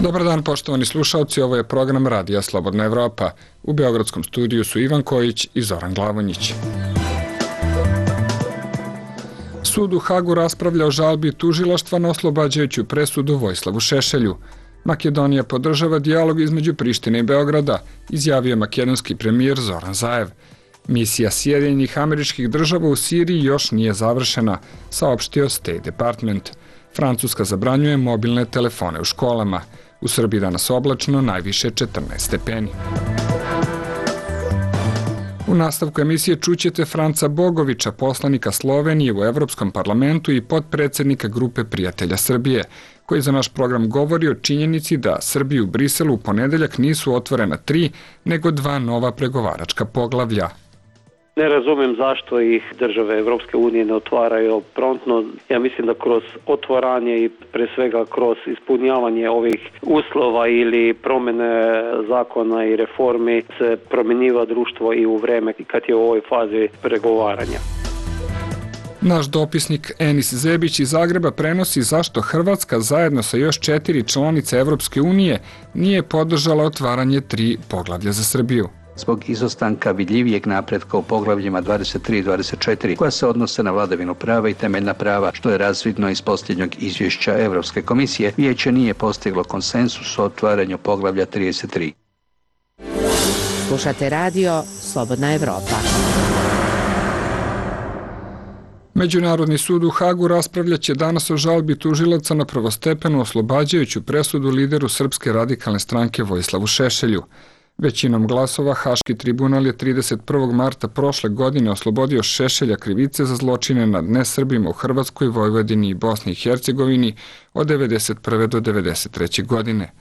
Dobar dan, poštovani slušalci, ovo je program Radija Slobodna Evropa. U Beogradskom studiju su Ivan Kojić i Zoran Glavonjić. Sud u Hagu raspravlja o žalbi tužilaštva na oslobađajuću presudu Vojislavu Šešelju. Makedonija podržava dijalog između Prištine i Beograda, izjavio makedonski premijer Zoran Zaev. Misija Sjedinjenih Američkih Država u Siriji još nije završena, saopštio State Department. Francuska zabranjuje mobilne telefone u školama. U Srbiji danas oblačno, najviše 14 stepeni. U nastavku emisije čućete Franca Bogovića, poslanika Slovenije u Evropskom parlamentu i potpredsednika Grupe prijatelja Srbije, koji za naš program govori o činjenici da Srbiji u Briselu u ponedeljak nisu otvorena 3, nego 2 nova pregovaračka poglavlja. Ne razumem zašto ih države Evropske unije ne otvaraju promptno. Ja mislim da kroz otvaranje i pre svega kroz ispunjavanje ovih uslova ili promjene zakona i reformi se promjenjiva društvo i u vreme kad je u ovoj fazi pregovaranja. Naš dopisnik Enis Zebić iz Zagreba prenosi zašto Hrvatska zajedno sa još 4 članice Evropske unije nije podržala otvaranje 3 poglavlja za Srbiju. Zbog izostanka vidljivijeg napretka u poglavljima 23 i 24, koja se odnose na vladavinu prava i temeljna prava, što je razvidno iz posljednjeg izvješća Evropske komisije, vijeće nije postiglo konsensus o otvaranju poglavlja 33. Slušate radio Slobodna Evropa. Međunarodni sud u Hagu raspravljaće danas o žalbi tužilaca na prvostepenu oslobađajuću presudu lideru Srpske radikalne stranke Vojislavu Šešelju. Većinom glasova Haški tribunal je 31. marta prošle godine oslobodio Šešelja krivice za zločine nad nesrbima u Hrvatskoj, Vojvodini i Bosni i Hercegovini od 1991. do 1993. godine.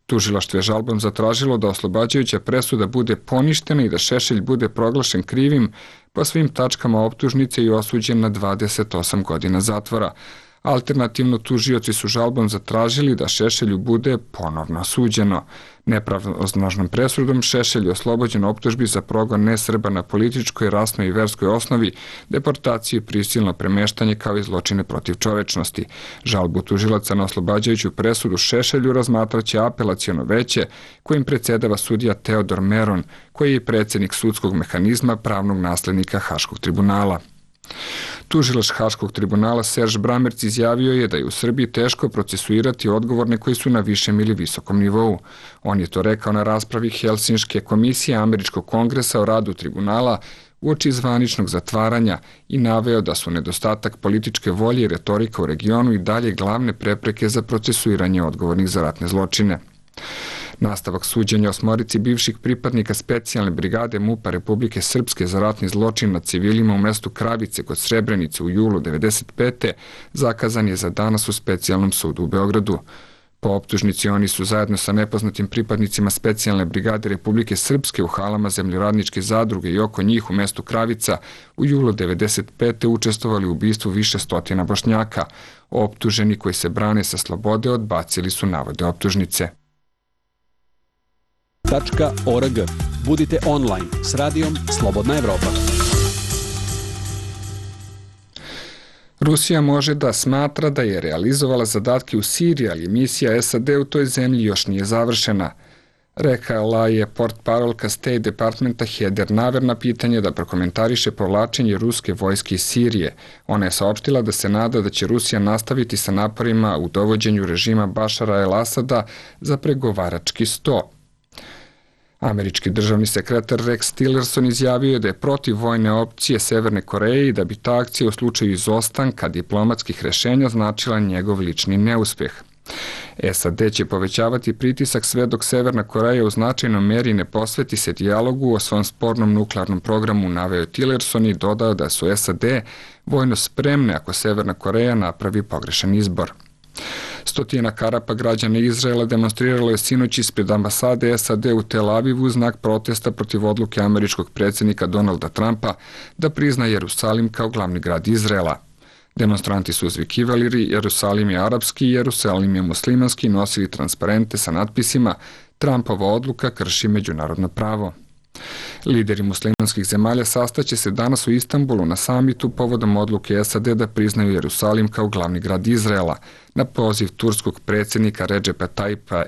Tužilaštvo je žalbom zatražilo da oslobađajuća presuda bude poništena i da Šešelj bude proglašen krivim po svim tačkama optužnice i osuđen na 28 godina zatvora. Alternativno, tužioci su žalbom zatražili da Šešelju bude ponovno suđeno. Nepravosnažnom presudom Šešelj je oslobođen optužbi za progon nesrba na političkoj, rasnoj i verskoj osnovi, deportaciju i prisilno premeštanje kao i zločine protiv čovečnosti. Žalbu tužilaca na oslobađajuću presudu Šešelju razmatraće apelaciono veće kojim predsjedava sudija Teodor Meron, koji je predsjednik sudskog mehanizma pravnog naslednika Haškog tribunala. Tužilac Haškog tribunala Serž Bramerc izjavio je da je u Srbiji teško procesuirati odgovorne koji su na višem ili visokom nivou. On je to rekao na raspravi Helsinške komisije Američkog kongresa o radu tribunala uoči zvaničnog zatvaranja i naveo da su nedostatak političke volje i retorika u regionu i dalje glavne prepreke za procesuiranje odgovornih za ratne zločine. Nastavak suđenja osmorici bivših pripadnika specijalne brigade MUP-a Republike Srpske za ratni zločin nad civilima u mestu Kravice kod Srebrenice u julu 1995. zakazan je za danas u specijalnom sudu u Beogradu. Po optužnici oni su zajedno sa nepoznatim pripadnicima specijalne brigade Republike Srpske u halama zemljoradničke zadruge i oko njih u mestu Kravica u julu 1995. učestvovali u ubistvu više stotina Bošnjaka. Optuženi koji se brane sa slobode odbacili su navode optužnice. .org. Budite online s radijom Slobodna Evropa. Rusija može da smatra da je realizovala zadatke u Siriji, ali misija SAD u toj zemlji još nije završena. Rekala je portparolka State Departmenta Heather Nauert na pitanje da prokomentariše povlačenje ruske vojske iz Sirije. Ona je saopštila da se nada da će Rusija nastaviti sa naporima u dovođenju režima Bašara el-Asada za pregovarački sto. Američki državni sekretar Rex Tillerson izjavio je da je protiv vojne opcije Severne Koreje i da bi ta akcija u slučaju izostanka diplomatskih rešenja značila njegov lični neuspeh. SAD će povećavati pritisak sve dok Severna Koreja u značajnoj meri ne posveti se dijalogu o svom spornom nuklearnom programu, naveo Tillerson i dodao da su SAD vojno spremne ako Severna Koreja napravi pogrešan izbor. Stotina Karapa građana Izraela demonstriralo je sinoć ispred ambasade SAD u Tel Avivu u znak protesta protiv odluke američkog predsjednika Donalda Trumpa da prizna Jerusalim kao glavni grad Izraela. Demonstranti su uzvikivali Jerusalim je arapski, Jerusalim je muslimanski, nosili transparente sa natpisima Trumpova odluka krši međunarodno pravo. Lideri muslimanskih zemalja sastaće se danas u Istanbulu na samitu povodom odluke SAD da priznaju Jerusalim kao glavni grad Izraela, na poziv turskog predsjednika Redžepa Tayyipa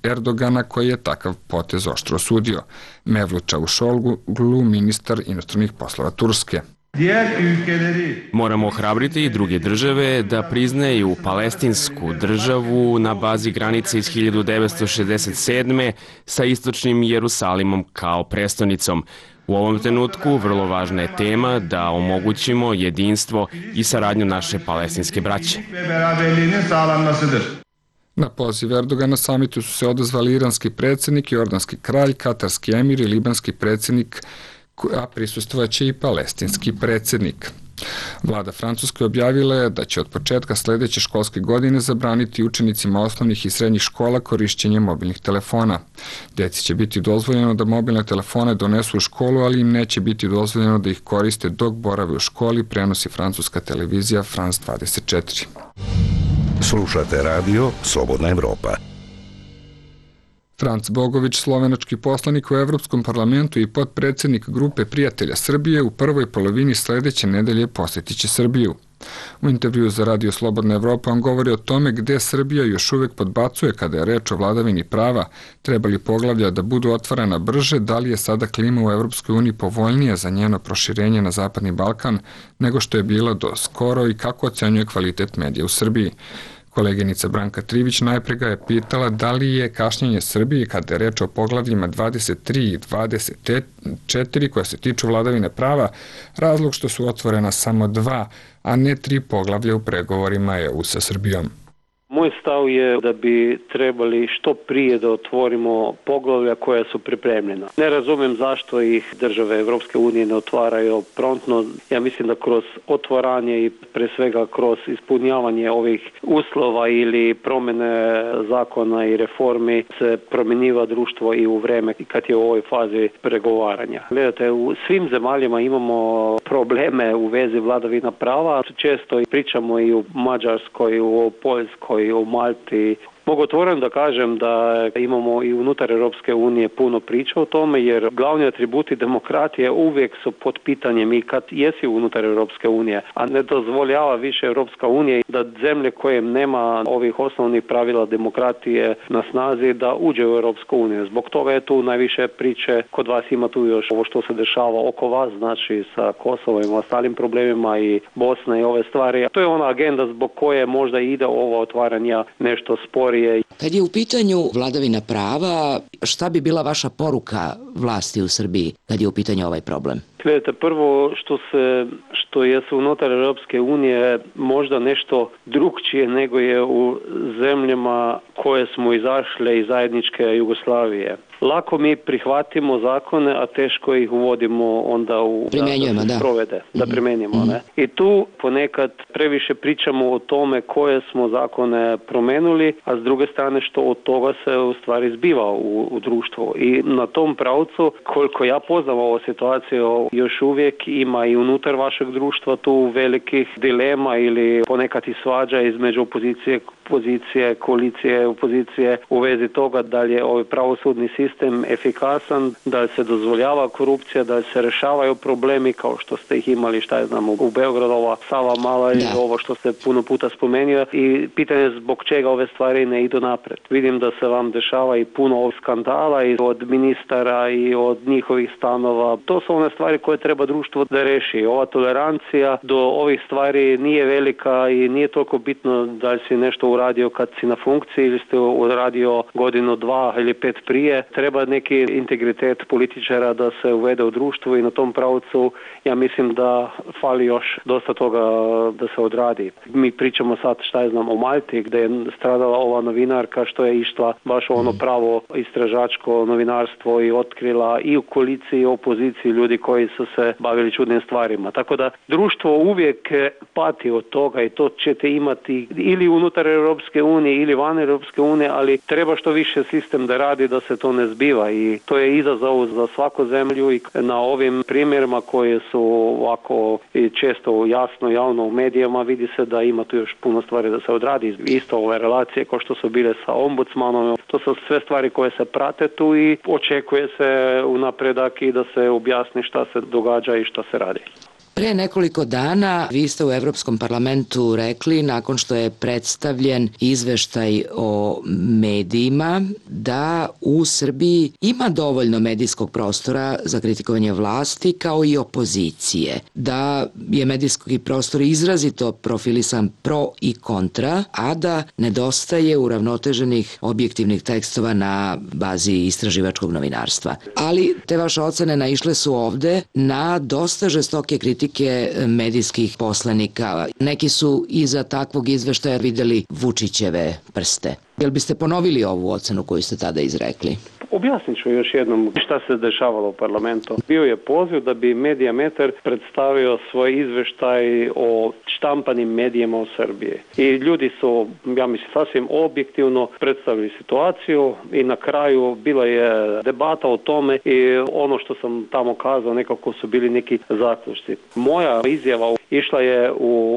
Erdogana koji je takav potez oštro osudio. Mevlut Çavuşoğlu, ministar inostranih poslova Turske. Moramo ohrabriti i druge države da priznaju palestinsku državu na bazi granice iz 1967. sa istočnim Jerusalimom kao prestonicom. U ovom trenutku vrlo važna je tema da omogućimo jedinstvo i saradnju naše palestinske braće. Na poziv Erdogana na samitu su se odazvali iranski predsjednik, jordanski kralj, katarski emir i libanski predsjednik, a prisustvovaće i palestinski predsjednik. Vlada Francuske objavila je da će od početka sljedeće školske godine zabraniti učenicima osnovnih i srednjih škola korišćenje mobilnih telefona. Djeci će biti dozvoljeno da mobilne telefone donesu u školu, ali im neće biti dozvoljeno da ih koriste dok borave u školi, prenosi francuska televizija France 24. Slušate radio Slobodna Evropa. Franc Bogović, slovenački poslanik u Evropskom parlamentu i potpredsjednik grupe prijatelja Srbije, u prvoj polovini sljedeće nedelje posjetit će Srbiju. U intervjuu za radio Slobodna Evropa on govori o tome gdje Srbija još uvijek podbacuje kada je reč o vladavini prava, treba li poglavlja da budu otvarana brže, da li je sada klima u Evropskoj uniji povoljnija za njeno proširenje na Zapadni Balkan nego što je bila do skoro i kako ocenjuje kvalitet medija u Srbiji. Koleginica Branka Trivić najprije ga je pitala da li je kašnjenje Srbije kada je reč o poglavljima 23 i 24 koja se tiču vladavine prava razlog što su otvorena samo 2, a ne 3 poglavlja u pregovorima EU sa Srbijom. Moj stav je da bi trebali što prije da otvorimo poglavlja koja su pripremljena. Ne razumijem zašto ih države Evropske unije ne otvaraju promptno. Ja mislim da kroz otvaranje i pre svega kroz ispunjavanje ovih uslova ili promjene zakona i reformi se promjenjiva društvo i u vreme kad je u ovoj fazi pregovaranja. Gledajte, u svim zemaljama imamo probleme u vezi vladavina prava. Često pričamo i u Mađarskoj, u Poljskoj, i u Malti. Mogu otvoreno da kažem da imamo i unutar Europske unije puno priča o tome, jer glavni atributi demokratije uvijek su pod pitanjem i kad jesi unutar Europske unije, a ne dozvoljava više Europska unija da zemlje koje nema ovih osnovnih pravila demokratije na snazi da uđe u Europsku uniju. Zbog toga je tu najviše priče, kod vas ima tu još ovo što se dešava oko vas, znači sa Kosovom i ostalim problemima i Bosna i ove stvari. To je ona agenda zbog koje možda ide ovo otvaranja nešto sporije. Kad je u pitanju vladavina prava, šta bi bila vaša poruka vlasti u Srbiji kad je u pitanju ovaj problem? Gledajte, prvo što je unutar Europske unije možda nešto drukčije nego je u zemljama koje smo izašle iz zajedničke Jugoslavije. Lako mi prihvatimo zakone, a teško ih uvodimo onda da primjenjujemo. Ne? I tu ponekad previše pričamo o tome koje smo zakone promenuli, a s druge strane što od toga se u stvari zbiva u društvu. I na tom pravcu, koliko ja poznam ovu situaciju, još uvijek ima i unutar vašeg društva tu velikih dilema ili ponekad i svađa između pozicije, koalicije, opozicije u vezi toga da li je ovaj pravosudni sistem efikasan, da li se dozvoljava korupcija, da li se rešavaju problemi kao što ste ih imali, u Beogradu, ova Sava Mala i ovo što ste puno puta spomenuli i pitanje zbog čega ove stvari ne idu napred. Vidim da se vam dešava i puno ovih skandala i od ministara i od njihovih stanova. To su one stvari koje treba društvo da reši. Ova tolerancija do ovih stvari nije velika i nije toliko bitno da li si nešto uradio kad si na funkciji ili ste uradio godinu, 2 ili 5 prije. Treba neki integritet političara da se uvede u društvu i na tom pravcu ja mislim da fali još dosta toga da se odradi. Mi pričamo sad o Malti gdje je stradala ova novinarka što je išla baš ono pravo istražačko novinarstvo i otkrila i u koaliciji i u opoziciji ljudi koji su se bavili čudnim stvarima. Tako da društvo uvijek pati od toga i to ćete imati ili unutar Europske unije ili van Europske unije, ali treba što više sistem da radi da se to ne zbiva i to je izazov za svaku zemlju i na ovim primjerima koje su ovako i često jasno javno u medijima vidi se da ima tu još puno stvari da se odradi. Isto ove relacije kao što su bile sa ombudsmanom, to su sve stvari koje se prate tu i očekuje se u napredak i da se objasni šta se događa i šta se radi. Pre nekoliko dana vi ste u Evropskom parlamentu rekli, nakon što je predstavljen izveštaj o medijima, da u Srbiji ima dovoljno medijskog prostora za kritikovanje vlasti kao i opozicije, da je medijski prostor izrazito profilisan pro i kontra, a da nedostaje uravnoteženih objektivnih tekstova na bazi istraživačkog novinarstva. Ali te vaše ocene naišle su ovde na dosta žestoke kritike medijskih poslanika. Neki su iza takvog izveštaja videli Vučićeve prste. Jel biste ponovili ovu ocenu koju ste tada izrekli? Objasnit ću još jednom šta se dešavalo u parlamentu. Bio je poziv da bi Mediametar predstavio svoj izveštaj o štampanim medijima u Srbiji. I ljudi su, ja mislim, sasvim objektivno predstavili situaciju i na kraju bila je debata o tome i ono što sam tamo kazao nekako su bili neki zaključci. Moja izjava išla je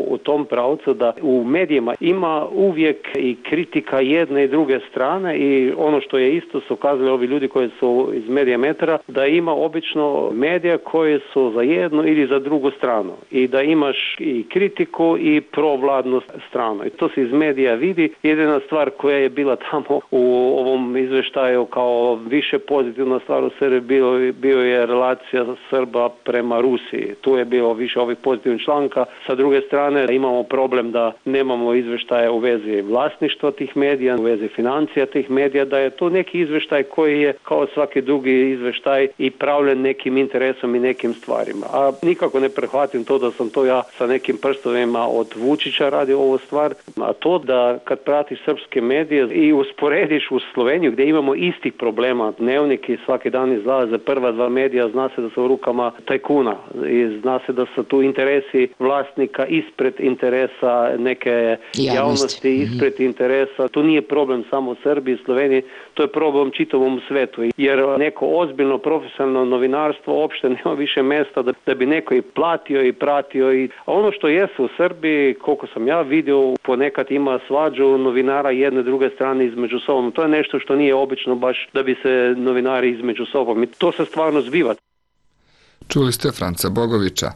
u tom pravcu da u medijima ima uvijek i kritika jedne i druge strane i ono što je isto su kazali ovi ljudi koji su iz Mediametara, da ima obično medija koji su za jednu ili za drugu stranu i da imaš i kritiku i provladnu stranu. I to se iz medija vidi. Jedina stvar koja je bila tamo u ovom izveštaju kao više pozitivna stvar u Srbiji bio je relacija Srba prema Rusiji. Tu je bilo više ovih pozitivnih članka. Sa druge strane imamo problem da nemamo izveštaje u vezi vlasništva tih medija, u vezi financija tih medija, da je to neki izveštaj koji je kao svaki drugi izveštaj i pravljen nekim interesom i nekim stvarima. A nikako ne prihvatim to da sam to ja sa nekim prstovima od Vučića radio ovu stvar, a to da kad pratiš srpske medije i usporediš u Sloveniju gdje imamo istih problema, dnevniki svaki dan izlaze, prva dva medija zna se da su u rukama tajkuna i zna se da su tu interesi vlasnika ispred interesa neke javnosti, ispred interesa. To nije problem samo u Srbiji i Sloveniji, to je problem čitavom svetu. Jer neko ozbiljno profesionalno novinarstvo uopšte nema više mjesta da bi neko i platio i pratio. A ono što jesu u Srbiji, koliko sam ja vidio, ponekad ima svađu novinara jedne i druge strane između sobom. To je nešto što nije obično baš da bi se novinari između sobom. I to se stvarno zbiva. Čuli ste Franca Bogovića.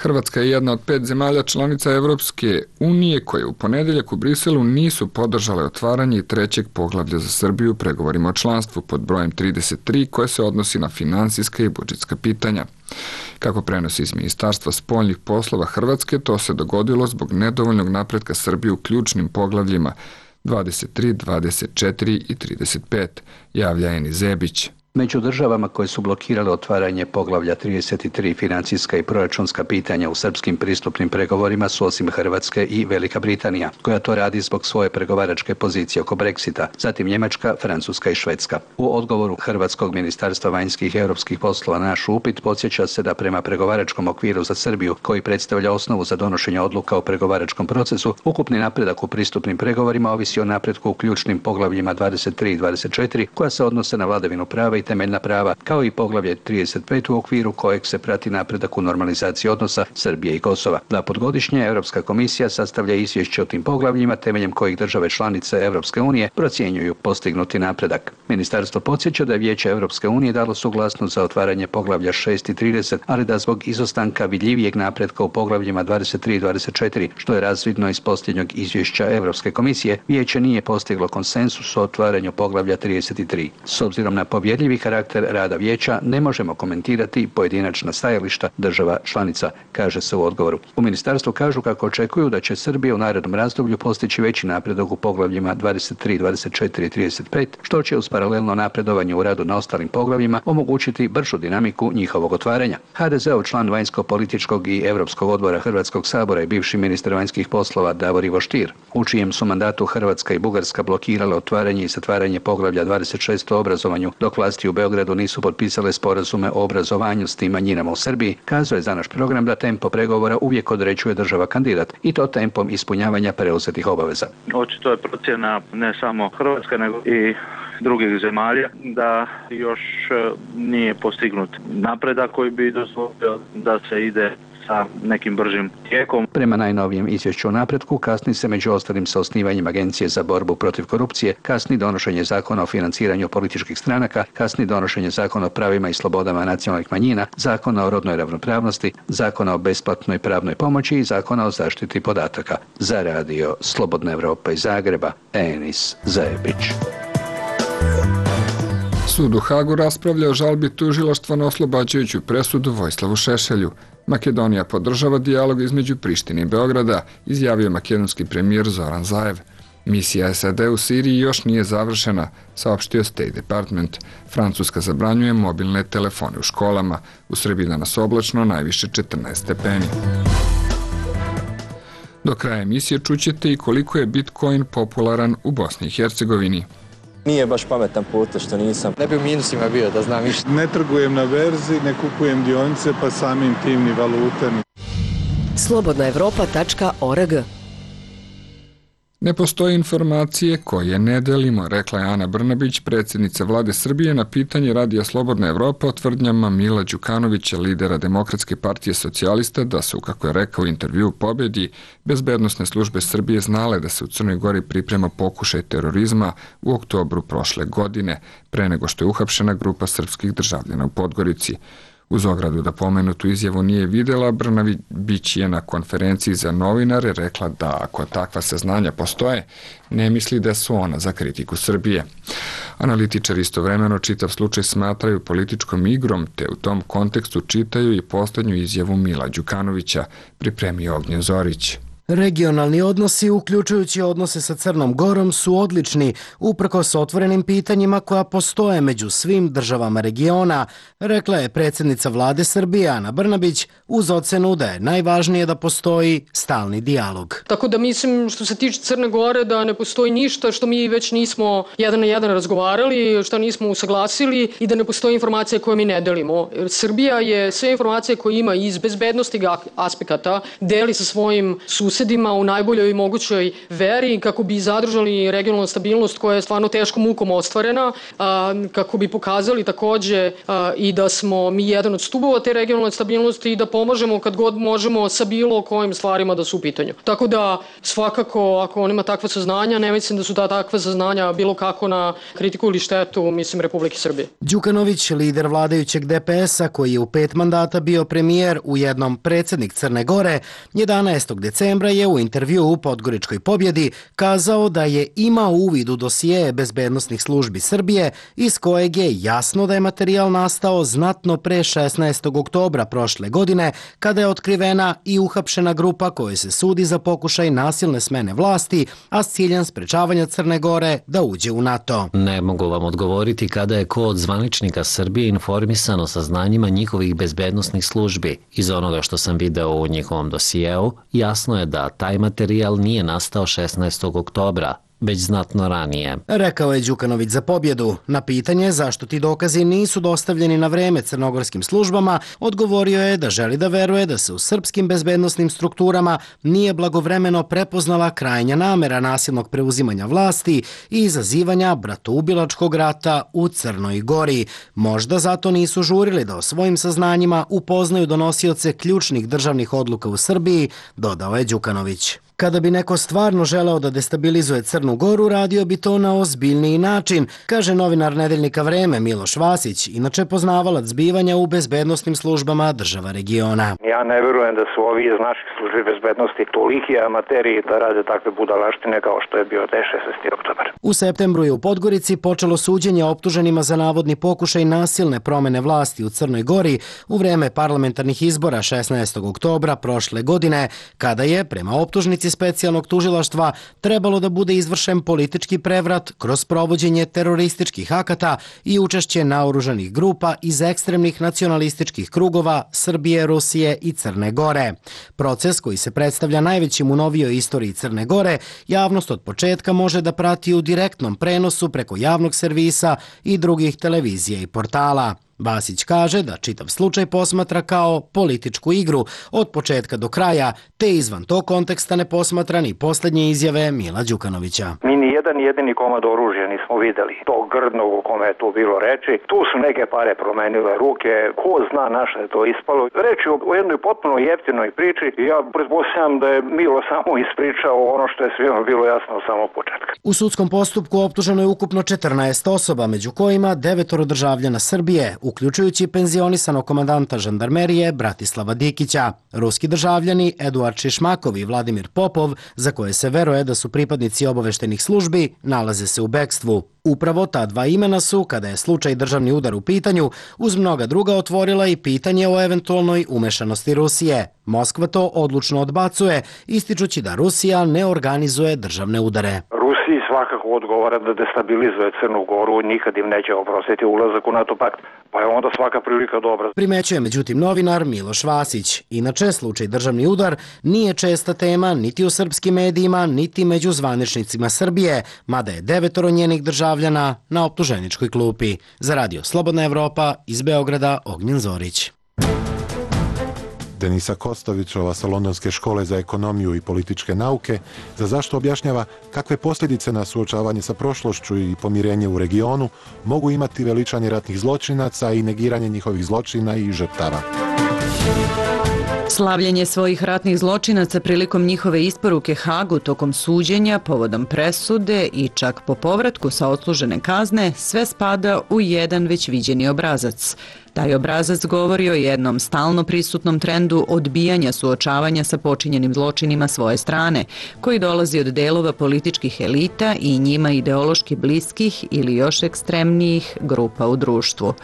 Hrvatska je jedna od 5 zemalja članica Evropske unije koje u ponedeljak u Briselu nisu podržale otvaranje trećeg poglavlja za Srbiju u pregovorima o članstvu pod brojem 33 koje se odnosi na finansijska i budžetska pitanja. Kako prenosi iz Ministarstva spoljnih poslova Hrvatske, to se dogodilo zbog nedovoljnog napretka Srbije u ključnim poglavljima 23, 24 i 35, javlja Eni Zebić. Među državama koje su blokirale otvaranje poglavlja 33 financijska i proračunska pitanja u srpskim pristupnim pregovorima su osim Hrvatske i Velika Britanija, koja to radi zbog svoje pregovaračke pozicije oko Brexita, zatim Njemačka, Francuska i Švedska. U odgovoru Hrvatskog ministarstva vanjskih i europskih poslova na naš upit podsjeća se da prema pregovaračkom okviru za Srbiju, koji predstavlja osnovu za donošenje odluka o pregovaračkom procesu, ukupni napredak u pristupnim pregovorima ovisi o napretku u ključnim poglavljima 23 i 24, koja se odnose na vladavinu prava i temeljna prava, kao i poglavlje 35 u okviru kojeg se prati napredak u normalizaciji odnosa Srbije i Kosova. Dva put godišnje Europska komisija sastavlja izvješće o tim poglavljima temeljem kojih države članice Europske unije procjenjuju postignuti napredak. Ministarstvo podsjeća da je Vijeće Europske unije dalo suglasnost za otvaranje poglavlja 6 i 30, ali da zbog izostanka vidljivijeg napretka u poglavljima 23 i 24, što je razvidno iz posljednjeg izvješća Europske komisije, Vijeće nije postiglo konsensus o otvaranju poglavlja 33. S obzirom na povjerljivi karakter rada Vijeća ne možemo komentirati pojedinačna stajališta država članica, kaže se u odgovoru. U ministarstvu kažu kako očekuju da će Srbija u narednom razdoblju postići veći napredak u poglavljima 23, 24 i 35, što će uz paralelno napredovanje u radu na ostalim poglavljima omogućiti bržu dinamiku njihovog otvaranja. HDZ-ov član vanjsko-političkog i Europskog odbora Hrvatskog sabora i bivši ministar vanjskih poslova Davor Ivo Stier, u čijem su mandatu Hrvatska i Bugarska blokirale otvaranje i zatvaranje poglavlja 26 o obrazovanju, dok vlast vlasti u Beogradu nisu potpisale sporazume o obrazovanju s tim manjinama u Srbiji, kazuje za naš program da tempo pregovora uvijek određuje država kandidat i to tempom ispunjavanja preuzetih obaveza. Očito je procjena ne samo Hrvatska nego i drugih zemalja da još nije postignut napredak koji bi dozvolio da se ide sa nekim bržim tijekom. Prema najnovijem izvješću o napretku kasni se među ostalim sa osnivanjem Agencije za borbu protiv korupcije, kasni donošenje zakona o financiranju političkih stranaka, kasni donošenje zakona o pravima i slobodama nacionalnih manjina, zakona o rodnoj ravnopravnosti, zakona o besplatnoj pravnoj pomoći i zakona o zaštiti podataka. Za radio Slobodna Evropa iz Zagreba, Enis Zajebić. Sud u Hagu raspravlja o žalbi tužilaštva na oslobađajuću presudu Vojislavu Šešelju. Makedonija podržava dijalog između Prištine i Beograda, izjavio makedonski premijer Zoran Zaev. Misija SAD u Siriji još nije završena, saopštio State Department. Francuska zabranjuje mobilne telefone u školama. U Srbiji danas oblačno, najviše 14 stepeni. Do kraja emisije čućete i koliko je Bitcoin popularan u Bosni i Hercegovini. Nije baš pametan put što nisam. Ne bi u minusima bio da znam više. Ne trgujem na berzi, ne kupujem dionice, pa samim tim ni valute. Slobodnaevropa.org. Ne postoje informacije koje ne delimo, rekla je Ana Brnabić, predsjednica vlade Srbije, na pitanje radija Slobodna Evropa o tvrdnjama Mila Đukanovića, lidera Demokratske partije socijalista, da su, kako je rekao u intervju u Pobjedi, bezbednosne službe Srbije znale da se u Crnoj Gori priprema pokušaj terorizma u oktobru prošle godine, pre nego što je uhapšena grupa srpskih državljana u Podgorici. Uz ogradu da pomenutu izjavu nije videla, Brnabić je na konferenciji za novinare rekla da ako takva saznanja postoje, ne misli da su ona za kritiku Srbije. Analitičari istovremeno čitav slučaj smatraju političkom igrom, te u tom kontekstu čitaju i posljednju izjavu Mila Đukanovića, pripremio Ognjen Zorić. Regionalni odnosi, uključujući odnose sa Crnom Gorom, su odlični, uprkos otvorenim pitanjima koja postoje među svim državama regiona, rekla je predsjednica vlade Srbije Ana Brnabić, uz ocenu da je najvažnije da postoji stalni dijalog. Tako da mislim, što se tiče Crne Gore, da ne postoji ništa što mi već nismo jedan na jedan razgovarali, što nismo usaglasili i da ne postoji informacije koje mi ne delimo. Srbija je sve informacije koje ima iz bezbednosti aspekata deli sa svojim susedima u najboljoj mogućoj veri kako bi zadržali regionalnu stabilnost koja je stvarno teškom mukom ostvarena, kako bi pokazali takođe i da smo mi jedan od stubova te regionalne stabilnosti i da pomažemo kad god možemo sa bilo kojim stvarima da su u pitanju. Tako da svakako ako on ima takva saznanja, ne mislim da su takva saznanja bilo kako na kritiku ili štetu, mislim, Republike Srbije. Đukanović, lider vladajućeg DPS-a koji je u 5 mandata bio premijer, ujednom predsjednik Crne Gore, 11. decembra je u intervju u Podgoričkoj Pobjedi kazao da je imao uvid u dosije bezbednosnih službi Srbije, iz kojeg je jasno da je materijal nastao znatno pre 16. oktobra prošle godine, kada je otkrivena i uhapšena grupa kojoj se sudi za pokušaj nasilne smene vlasti, a s ciljem sprečavanja Crne Gore da uđe u NATO. Ne mogu vam odgovoriti kada je ko od zvaničnika Srbije informisan o saznanjima njihovih bezbednosnih službi. Iz onoga što sam video u njihovom dosijeu, jasno je da taj materijal nije nastao 16. oktobra, već znatno ranije. Rekao je Đukanović za Pobjedu. Na pitanje zašto ti dokazi nisu dostavljeni na vreme crnogorskim službama, odgovorio je da želi da veruje da se u srpskim bezbednosnim strukturama nije blagovremeno prepoznala krajnja namera nasilnog preuzimanja vlasti i izazivanja bratoubilačkog rata u Crnoj Gori. Možda zato nisu žurili da o svojim saznanjima upoznaju donosioce ključnih državnih odluka u Srbiji, dodao je Đukanović. Kada bi neko stvarno želeo da destabilizuje Crnu Goru, radio bi to na ozbiljniji način, kaže novinar nedeljnika Vreme Miloš Vasić, inače poznavalac zbivanja u bezbednosnim službama država regiona. Ja ne verujem da su ovi iz naših službi bezbednosti toliki amateri da rade takve budalaštine kao što je bio 16. oktobar. U septembru je u Podgorici počelo suđenje optuženima za navodni pokušaj nasilne promene vlasti u Crnoj Gori u vreme parlamentarnih izbora 16. oktobra prošle godine, kada je, prema optužnici odluci specijalnog tužilaštva trebalo da bude izvršen politički prevrat kroz provođenje terorističkih akata i učešće naoružanih grupa iz ekstremnih nacionalističkih krugova Srbije, Rusije i Crne Gore. Proces koji se predstavlja najvećim u novijoj istoriji Crne Gore, javnost od početka može da prati u direktnom prenosu preko javnog servisa i drugih televizija i portala. Vasić kaže da čitav slučaj posmatra kao političku igru od početka do kraja, te izvan tog konteksta ne posmatra ni posljednje izjave Mila Đukanovića. Mi ni jedan jedini komad oružja nismo videli. To grdnog o kome je tu bilo reči. Tu su neke pare promenile ruke. Ko zna na što je to ispalo. Reći o jednoj potpuno jeftinoj priči. Ja pretpostavljam da je Milo samo ispričao ono što je svima bilo jasno od samog početka. U sudskom postupku optuženo je ukupno 14 osoba, među kojima 9 državljana Srbije, uključujući penzionisanog komandanta žandarmerije Bratislava Dikića. Ruski državljani Eduard Šišmakov i Vladimir Popov, za koje se veruje da su pripadnici obaveštenih službi, nalaze se u bekstvu. Upravo ta dva imena su, kada je slučaj državni udar u pitanju, uz mnoga druga otvorila i pitanje o eventualnoj umešanosti Rusije. Moskva to odlučno odbacuje, ističući da Rusija ne organizuje državne udare. Rusiji svakako odgovara da destabilizuje Crnu Goru, nikad im neće oprostiti ulazak u NATO pakt, pa je onda svaka prilika dobra. Primećuje međutim novinar Miloš Vasić. Inače, slučaj državni udar nije česta tema niti u srpskim medijima, niti među zvaničnicima Srbije, mada je 9 njenih državljana na optuženičkoj klupi. Za radio Slobodna Evropa, iz Beograda, Ognjen Zorić. Denisa Kostovićova sa Londonske škole za ekonomiju i političke nauke za zašto objašnjava kakve posljedice na suočavanje sa prošlošću i pomirenje u regionu mogu imati veličanje ratnih zločinaca i negiranje njihovih zločina i žrtava. Slavljenje svojih ratnih zločinaca prilikom njihove isporuke Hagu tokom suđenja, povodom presude i čak po povratku sa odslužene kazne, sve spada u jedan već viđeni obrazac. Taj obrazac govori o jednom stalno prisutnom trendu odbijanja suočavanja sa počinjenim zločinima svoje strane, koji dolazi od delova političkih elita i njima ideološki bliskih ili još ekstremnijih grupa u društvu.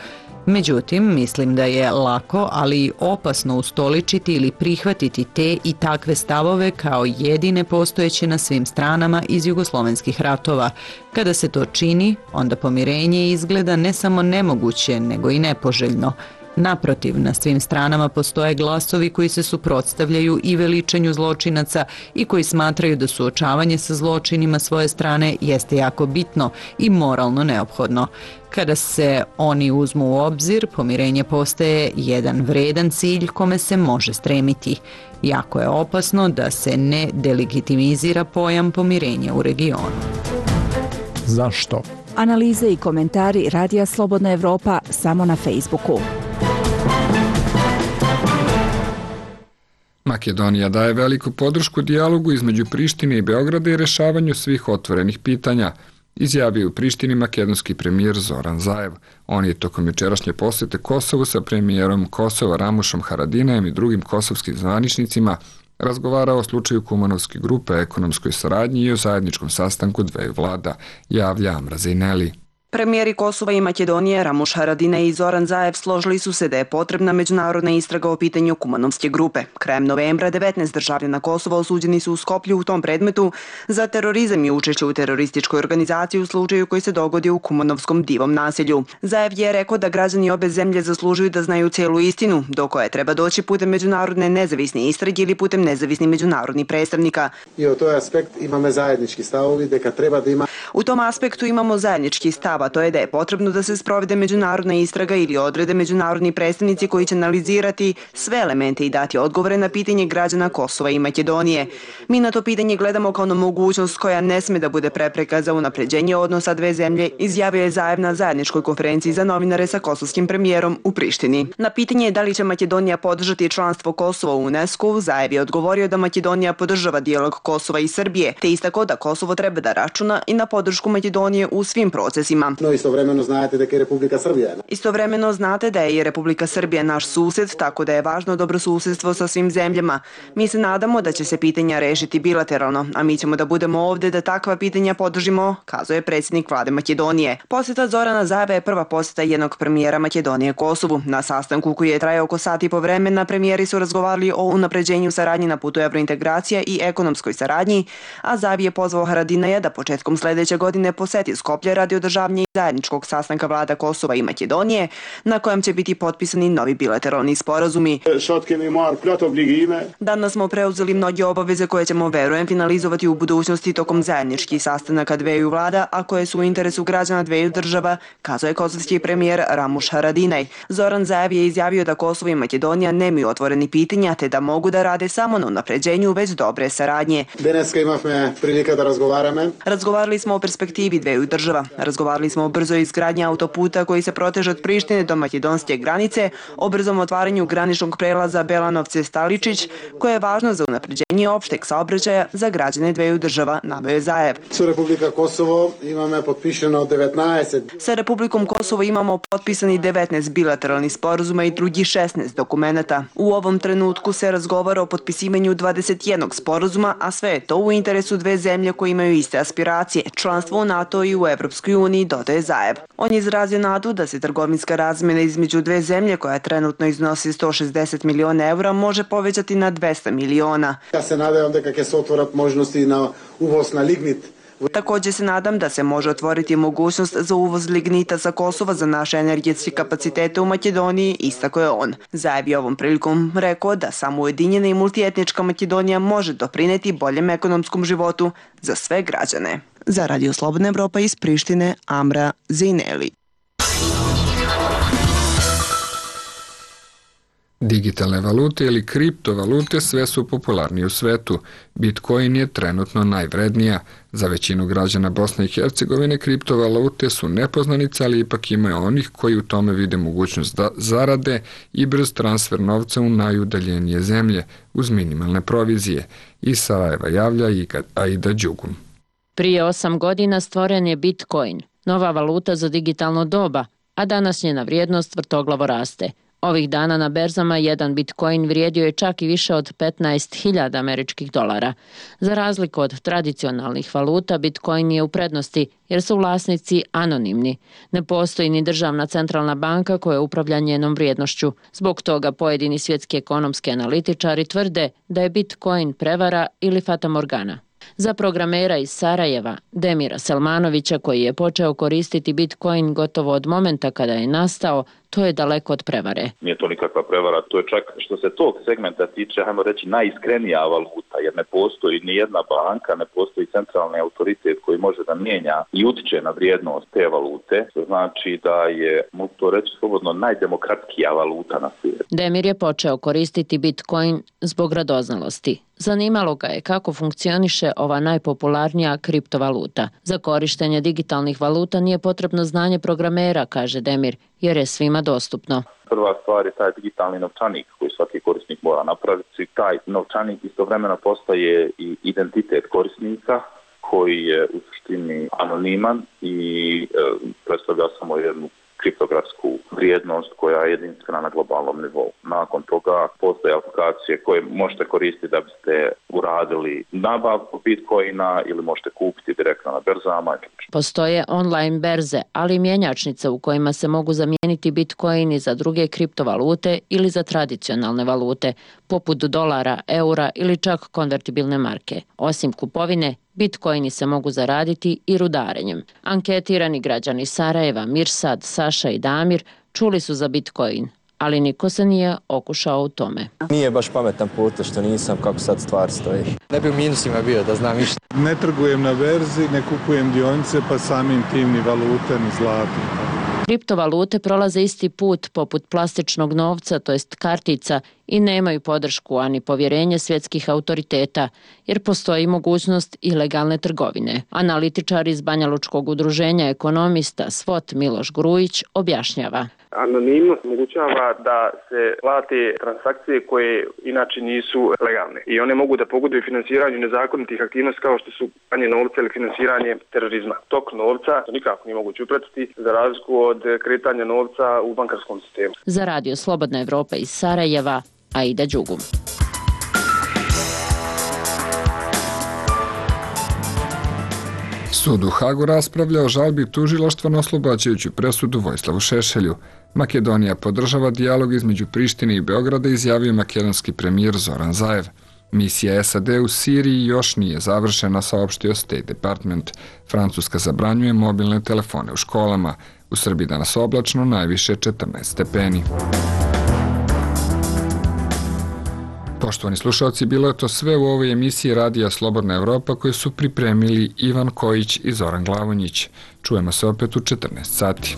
Međutim, mislim da je lako, ali i opasno ustoličiti ili prihvatiti te i takve stavove kao jedine postojeće na svim stranama iz jugoslovenskih ratova. Kada se to čini, onda pomirenje izgleda ne samo nemoguće, nego i nepoželjno. Naprotiv, na svim stranama postoje glasovi koji se suprotstavljaju i veličanju zločinaca i koji smatraju da suočavanje sa zločinima svoje strane jeste jako bitno i moralno neophodno. Kada se oni uzmu u obzir, pomirenje postaje jedan vredan cilj kome se može stremiti. Jako je opasno da se ne delegitimizira pojam pomirenja u regionu. Zašto? Analize i komentari Radija Slobodna Evropa samo na Facebooku. Makedonija daje veliku podršku dijalogu između Prištine i Beograda i rešavanju svih otvorenih pitanja, izjavio u Prištini makedonski premijer Zoran Zaev. On je tokom jučerašnje posete Kosovu sa premijerom Kosova Ramušom Haradinajem i drugim kosovskim zvaničnicima razgovarao o slučaju Kumanovske grupe, ekonomskoj saradnji i o zajedničkom sastanku dveju vlada, javlja Amra Zejneli. Premijeri Kosova i Makedonije Ramuš Haradinaj i Zoran Zaev složili su se da je potrebna međunarodna istraga o pitanju Kumanovske grupe. Krajem novembra 19 državljana Kosova osuđeni su u Skoplju u tom predmetu za terorizam i učešće u terorističkoj organizaciji u slučaju koji se dogodio u Kumanovskom divom naselju. Zaev je rekao da građani obe zemlje zaslužuju da znaju celu istinu, do koje treba doći putem međunarodne nezavisne istrage ili putem nezavisnih međunarodnih predstavnika. I u toj aspekt imamo zajednički stavovi da treba da ima. U tom aspektu imamo zajednički stav, a to je da je potrebno da se sprovede međunarodna istraga ili odrede međunarodni predstavnici koji će analizirati sve elemente i dati odgovore na pitanje građana Kosova i Makedonije. Mi na to pitanje gledamo kao na mogućnost koja ne sme da bude prepreka za unapređenje odnosa dve zemlje, izjavio je Zaev na zajedničkoj konferenciji za novinare sa kosovskim premijerom u Prištini. Na pitanje da li će Makedonija podržati članstvo Kosova u UNESCO, Zaev je odgovorio da Makedonija podržava dijalog Kosova i Srbije, te istakao da Kosovo treba da računa i na podršku podršku Makedonije u svim procesima. No, istovremeno znate da je Republika Srbija. Istovremeno znate da je Republika Srbija naš sused, tako da je važno dobrosusedstvo sa svim zemljama. Mi se nadamo da će se pitanja rešiti bilateralno, a mi ćemo da budemo ovde da takva pitanja podržimo, kazuje predsjednik vlade Makedonije. Posjeta Zorana Zaeva je prva posjeta jednog premijera Makedonije Kosovu. Na sastanku koji je trajao oko sat i po vremena, premijeri su razgovarali o unapređenju saradnje na putu evrointegracija i ekonomskoj saradnji, a Zaev je pozvao Haradinaja da početkom sledeće godine poseti Skoplje radi održavanja zajedničkog sastanka vlada Kosova i Makedonije, na kojem će biti potpisani novi bilateralni sporazumi. Danas smo preuzeli mnoge obaveze koje ćemo, verujem, finalizovati u budućnosti tokom zajedničkih sastanaka dveju vlada, a koje su u interesu građana dveju država, kazuje kosovski premijer Ramuš Haradinaj. Zoran Zaev je izjavio da Kosovo i Makedonija nemaju otvoreni pitanja, te da mogu da rade samo na unapređenju već dobre saradnje. Daneska imamo prilika da razgovarame. Razgovarali smo o perspektivi dveju država. Razgovarali smo o brzoj izgradnji autoputa koji se proteže od Prištine do makedonske granice, o brzom otvaranju graničnog prelaza Belanovce-Staličić, koje je važno za unapređenje opšteg saobraćaja za građane dveju država, naveo je Zaev. Sa Republika Kosovo imamo potpisano 19. Sa Republikom Kosovo imamo potpisani 19 bilateralnih sporazuma i drugih 16 dokumenata. U ovom trenutku se razgovara o potpisivanju 21 sporazuma, a sve je to u interesu dve zemlje koje imaju iste aspiracije, članstvo u NATO i u Evropskoj uniji, dodaje Zaev. On je izrazio nadu da se trgovinska razmjena između dve zemlje, koja trenutno iznosi 160 miliona evra, može povećati na 200 miliona. Ja se nadam da kako se otvorat možnosti na uvoz na lignit. Također se nadam da se može otvoriti mogućnost za uvoz lignita sa Kosova za naše energetske kapacitete u Makedoniji, istakao je on. Zaev je ovom prilikom rekao da samo ujedinjena i multietnička Makedonija može doprineti boljem ekonomskom životu za sve građane. Za Radio Slobodna Evropa iz Prištine, Amra Zejneli. Digitalne valute ili kriptovalute sve su popularnije u svetu. Bitcoin je trenutno najvrednija. Za većinu građana Bosne i Hercegovine kriptovalute su nepoznanica, ali ipak ima onih koji u tome vide mogućnost da zarade i brz transfer novca u najudaljenije zemlje uz minimalne provizije. Iz Sarajeva javlja i Aida Đugun. Prije 8 godina stvoren je Bitcoin, nova valuta za digitalno doba, a danas njena vrijednost vrtoglavo raste. Ovih dana na berzama jedan Bitcoin vrijedio je čak i više od 15.000 američkih dolara. Za razliku od tradicionalnih valuta, Bitcoin je u prednosti jer su vlasnici anonimni. Ne postoji ni državna centralna banka koja upravlja njenom vrijednošću. Zbog toga pojedini svjetski ekonomski analitičari tvrde da je Bitcoin prevara ili fatamorgana. Za programera iz Sarajeva, Demira Selmanovića, koji je počeo koristiti Bitcoin gotovo od momenta kada je nastao, to je daleko od prevare. Nije to nikakva prevara, to je čak što se tog segmenta tiče, hajmo reći, najiskrenija valuta, jer ne postoji ni jedna banka, ne postoji centralni autoritet koji može da mijenja i utiče na vrijednost te valute, što znači da je, mogu to reći slobodno, najdemokratskija valuta na svijetu. Demir je počeo koristiti Bitcoin zbog radoznalosti. Zanimalo ga je kako funkcioniše ova najpopularnija kriptovaluta. Za korištenje digitalnih valuta nije potrebno znanje programera, kaže Demir, jer je svima dostupno. Prva stvar je taj digitalni novčanik koji svaki korisnik mora napraviti. Taj novčanik istovremeno postaje i identitet korisnika koji je u suštini anoniman i predstavlja samo jednu kriptografsku vrijednost koja je jedinstvena na globalnom nivou. Nakon toga postoje aplikacije koje možete koristiti da biste uradili nabavku Bitcoina ili možete kupiti direktno na berzama. Postoje online berze, ali i mjenjačnice u kojima se mogu zamijeniti Bitcoini za druge kriptovalute ili za tradicionalne valute, poput dolara, eura ili čak konvertibilne marke. Osim kupovine, Bitcoini se mogu zaraditi i rudarenjem. Anketirani građani Sarajeva, Mirsad, Saša i Damir čuli su za Bitcoin, ali niko se nije okušao u tome. Nije baš pametan put što nisam kako sad stvar stoji. Ne bi u minusima bio da znam išta. Ne trgujem na berzi, ne kupujem dionice, pa samim tim ni valute, ni zlato. Kriptovalute prolaze isti put poput plastičnog novca, to jest kartica, i nemaju podršku ani povjerenje svjetskih autoriteta, jer postoji mogućnost ilegalne trgovine. Analitičar iz Banjalučkog udruženja ekonomista SWOT Miloš Grujić objašnjava. Anonimnost omogućava da se plate transakcije koje inače nisu legalne i one mogu da pogoduju finansiranju nezakonitih aktivnosti kao što su pranje novca ili finansiranje terorizma. Tok novca nikako nije moguće upratiti za razliku od kretanja novca u bankarskom sistemu. Za Radio Slobodna Evropa iz Sarajeva, Aida Đugum. Sud u Hagu raspravlja o žalbi tužilaštva na oslobađajuću presudu Vojislavu Šešelju. Makedonija podržava dijalog između Prištine i Beograda, izjavio makedonski premijer Zoran Zaev. Misija SAD u Siriji još nije završena, saopštio State Department. Francuska zabranjuje mobilne telefone u školama. U Srbiji danas oblačno, najviše 14 stepeni. Poštovani slušalci, bilo je to sve u ovoj emisiji Radija Slobodna Evropa koju su pripremili Ivan Kojić i Zoran Glavonjić. Čujemo se opet u 14 sati.